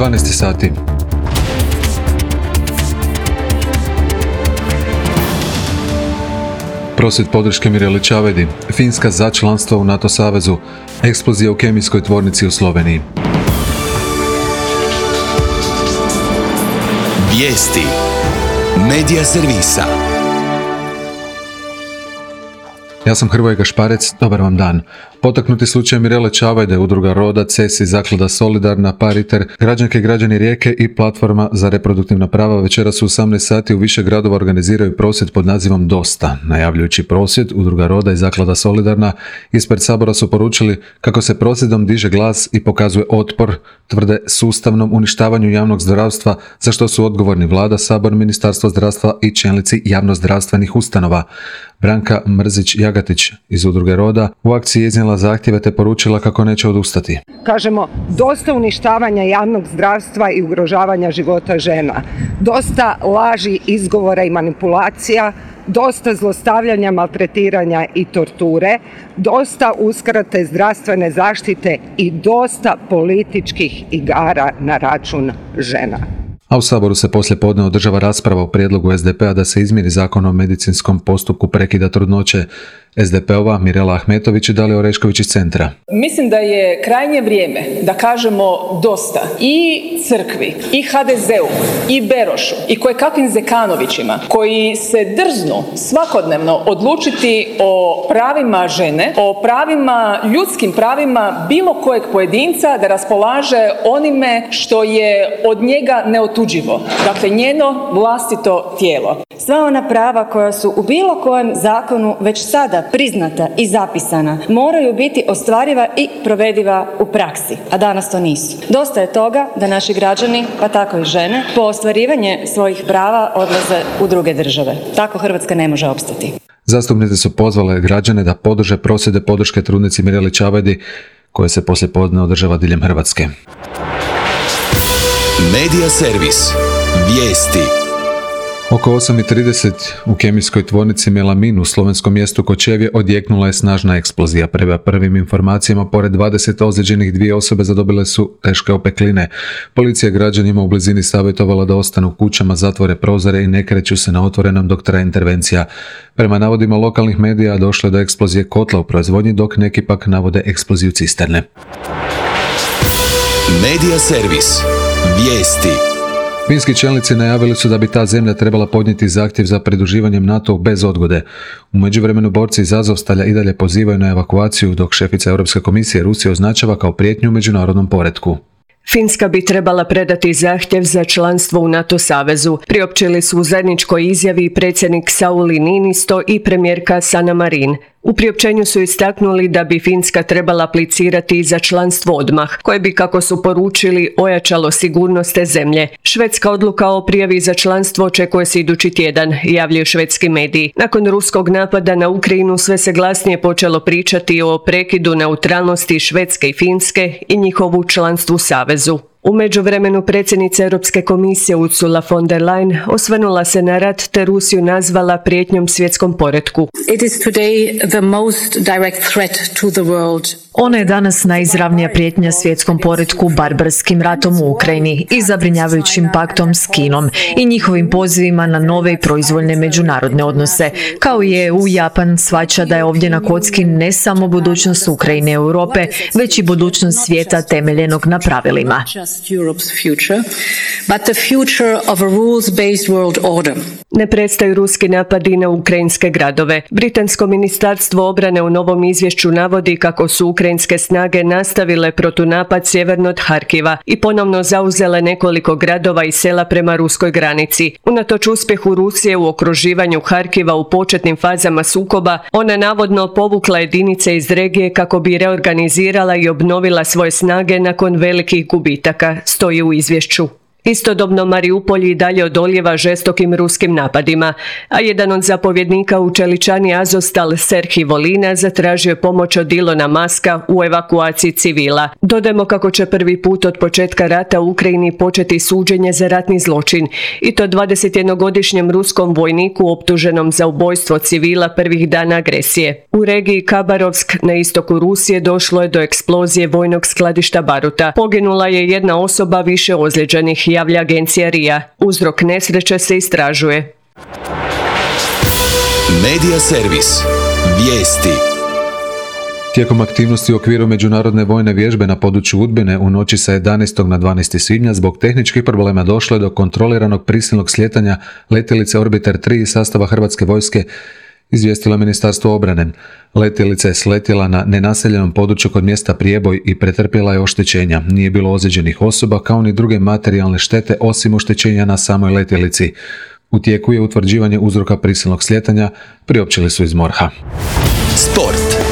12 sati. Prosvjed podrške Mireli Čavajdi, Finska za članstvo u NATO savezu, eksplozija u kemijskoj tvornici u Sloveniji. Vijesti Medija servisa. Ja sam Hrvoje Gašparec, dobar vam dan. Potaknuti slučaj Mirele Čavajde, udruga Roda, CESI, Zaklada Solidarna, Pariter, građanke i građani Rijeke i Platforma za reproduktivna prava večeras u 18 sati u više gradova organiziraju prosvjed pod nazivom Dosta. Najavljujući prosvjed, udruga Roda i Zaklada Solidarna ispred Sabora su poručili kako se prosvjedom diže glas i pokazuje otpor, tvrde sustavnom uništavanju javnog zdravstva, za što su odgovorni Vlada, Sabor, Ministarstvo zdravstva i čelnici javnozdravstvenih ustanova. Branka Mrzić-Jagatić iz udruge Roda u akciji je iznijela zahtjeve te poručila kako neće odustati. Kažemo, dosta uništavanja javnog zdravstva i ugrožavanja života žena. Dosta laži, izgovora i manipulacija, dosta zlostavljanja, maltretiranja i torture, dosta uskrate zdravstvene zaštite i dosta političkih igara na račun žena. A u Saboru se poslijepodne održava rasprava o prijedlogu SDP-a da se izmjeni zakon o medicinskom postupku prekida trudnoće. SDP-ova Mirela Ahmetović i Dalija Orešković iz Centra. Mislim da je krajnje vrijeme da kažemo dosta i crkvi, i HDZ-u, i Berošu, i kojekakvim Zekanovićima koji se drznu svakodnevno odlučiti o pravima žene, o pravima, ljudskim pravima bilo kojeg pojedinca da raspolaže onime što je od njega neotuđivo. Dakle, njeno vlastito tijelo. Sva ona prava koja su u bilo kojem zakonu već sada priznata i zapisana moraju biti ostvariva i provediva u praksi, a danas to nisu. Dosta je toga da naši građani, pa tako i žene, po ostvarivanje svojih prava odlaze u druge države. Tako Hrvatska ne može opstati. Zastupnice su pozvale građane da podrže prosvjede podrške trudnici Mireli Čavajdi koje se poslijepodne održava diljem Hrvatske. Medija servis. Vijesti. Oko 8:30 u kemijskoj tvornici Melamin u slovenskom mjestu Kočevje odjeknula je snažna eksplozija. Prema prvim informacijama, pored 20 ozlijeđenih, 2 osobe zadobile su teške opekline. Policija građanima u blizini savjetovala da ostanu u kućama, zatvore prozore i ne kreću se na otvorenom dok traje intervencija. Prema navodima lokalnih medija došlo je do eksplozije kotla u proizvodnji, dok neki pak navode eksploziju cisterne. Medija servis. Vijesti. Finski čelnici najavili su da bi ta zemlja trebala podnijeti zahtjev za pridruživanjem NATO bez odgode. U međuvremenu borci iz Azovstalja i dalje pozivaju na evakuaciju, dok šefica Europske komisije Rusiju označava kao prijetnju u međunarodnom poretku. Finska bi trebala predati zahtjev za članstvo u NATO savezu, priopćili su u zajedničkoj izjavi predsjednik Sauli Niinisto i premijerka Sanna Marin. U priopćenju su istaknuli da bi Finska trebala aplicirati za članstvo odmah, koje bi, kako su poručili, ojačalo sigurnost te zemlje. Švedska odluka o prijavi za članstvo očekuje se idući tjedan, javljaju švedski mediji. Nakon ruskog napada na Ukrajinu sve se glasnije počelo pričati o prekidu neutralnosti Švedske i Finske i njihovu članstvu u savezu. U međuvremenu predsjednica Europske komisije Ursula von der Leyen osvrnula se na rat te Rusiju nazvala prijetnjom svjetskom poretku. It is today the most direct threat to the world. Ona je danas najizravnija prijetnja svjetskom poretku barbarskim ratom u Ukrajini i zabrinjavajućim paktom s Kinom i njihovim pozivima na nove i proizvoljne međunarodne odnose. Kao i EU, Japan shvaća da je ovdje na kocki ne samo budućnost Ukrajine i Europe, već i budućnost svijeta temeljenog na pravilima. Ne prestaju ruski napadi na ukrajinske gradove. Britansko ministarstvo obrane u novom izvješću navodi kako su ukrajinske snage nastavile protunapad sjeverno od Harkiva i ponovno zauzele nekoliko gradova i sela prema ruskoj granici. Unatoč uspjehu Rusije u okruživanju Harkiva u početnim fazama sukoba, ona navodno povukla jedinice iz regije kako bi reorganizirala i obnovila svoje snage nakon velikih gubitaka, stoji u izvješću. Istodobno Mariupolj i dalje odolijeva žestokim ruskim napadima, a jedan od zapovjednika u čeličani Azovstal Serhij Volina zatražio je pomoć od Ilona Maska u evakuaciji civila. Dodajmo kako će prvi put od početka rata u Ukrajini početi suđenje za ratni zločin, i to 21-godišnjem ruskom vojniku optuženom za ubojstvo civila prvih dana agresije. U regiji Kabarovsk na istoku Rusije došlo je do eksplozije vojnog skladišta baruta. Poginula je jedna osoba, više ozlijeđenih, javlja agencija RIA. Uzrok nesreće se istražuje. Medija servis. Vijesti. Tijekom aktivnosti u okviru međunarodne vojne vježbe na području Udbine u noći sa 11. na 12. svibnja zbog tehničkih problema došlo je do kontroliranog prisilnog slijetanja letjelice Orbiter 3 iz sastava Hrvatske vojske, izvijestilo Ministarstvo obrane. Letjelica je sletjela na nenaseljenom području kod mjesta Prijeboj i pretrpjela je oštećenja. Nije bilo ozlijeđenih osoba kao ni druge materijalne štete osim oštećenja na samoj letjelici. U tijeku je utvrđivanje uzroka prisilnog slijetanja, priopćili su iz MORH-a. Sport.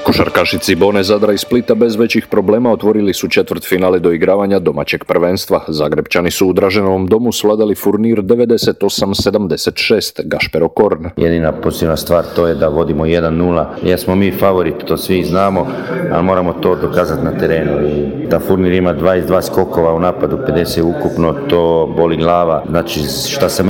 Košarkaši Cibone, Zadra i Splita bez većih problema otvorili su četvrtfinale doigravanja domaćeg prvenstva. Zagrepčani su u Draženovom domu svladali Furnir 98-76, Gašper Okorn. Jedina pozitivna stvar to je da vodimo 1-0. Jesmo mi favorit, to svi znamo, ali moramo to dokazati na terenu. I da Furnir ima 22 skokova u napadu, 50 ukupno, to boli glava. Znači, šta se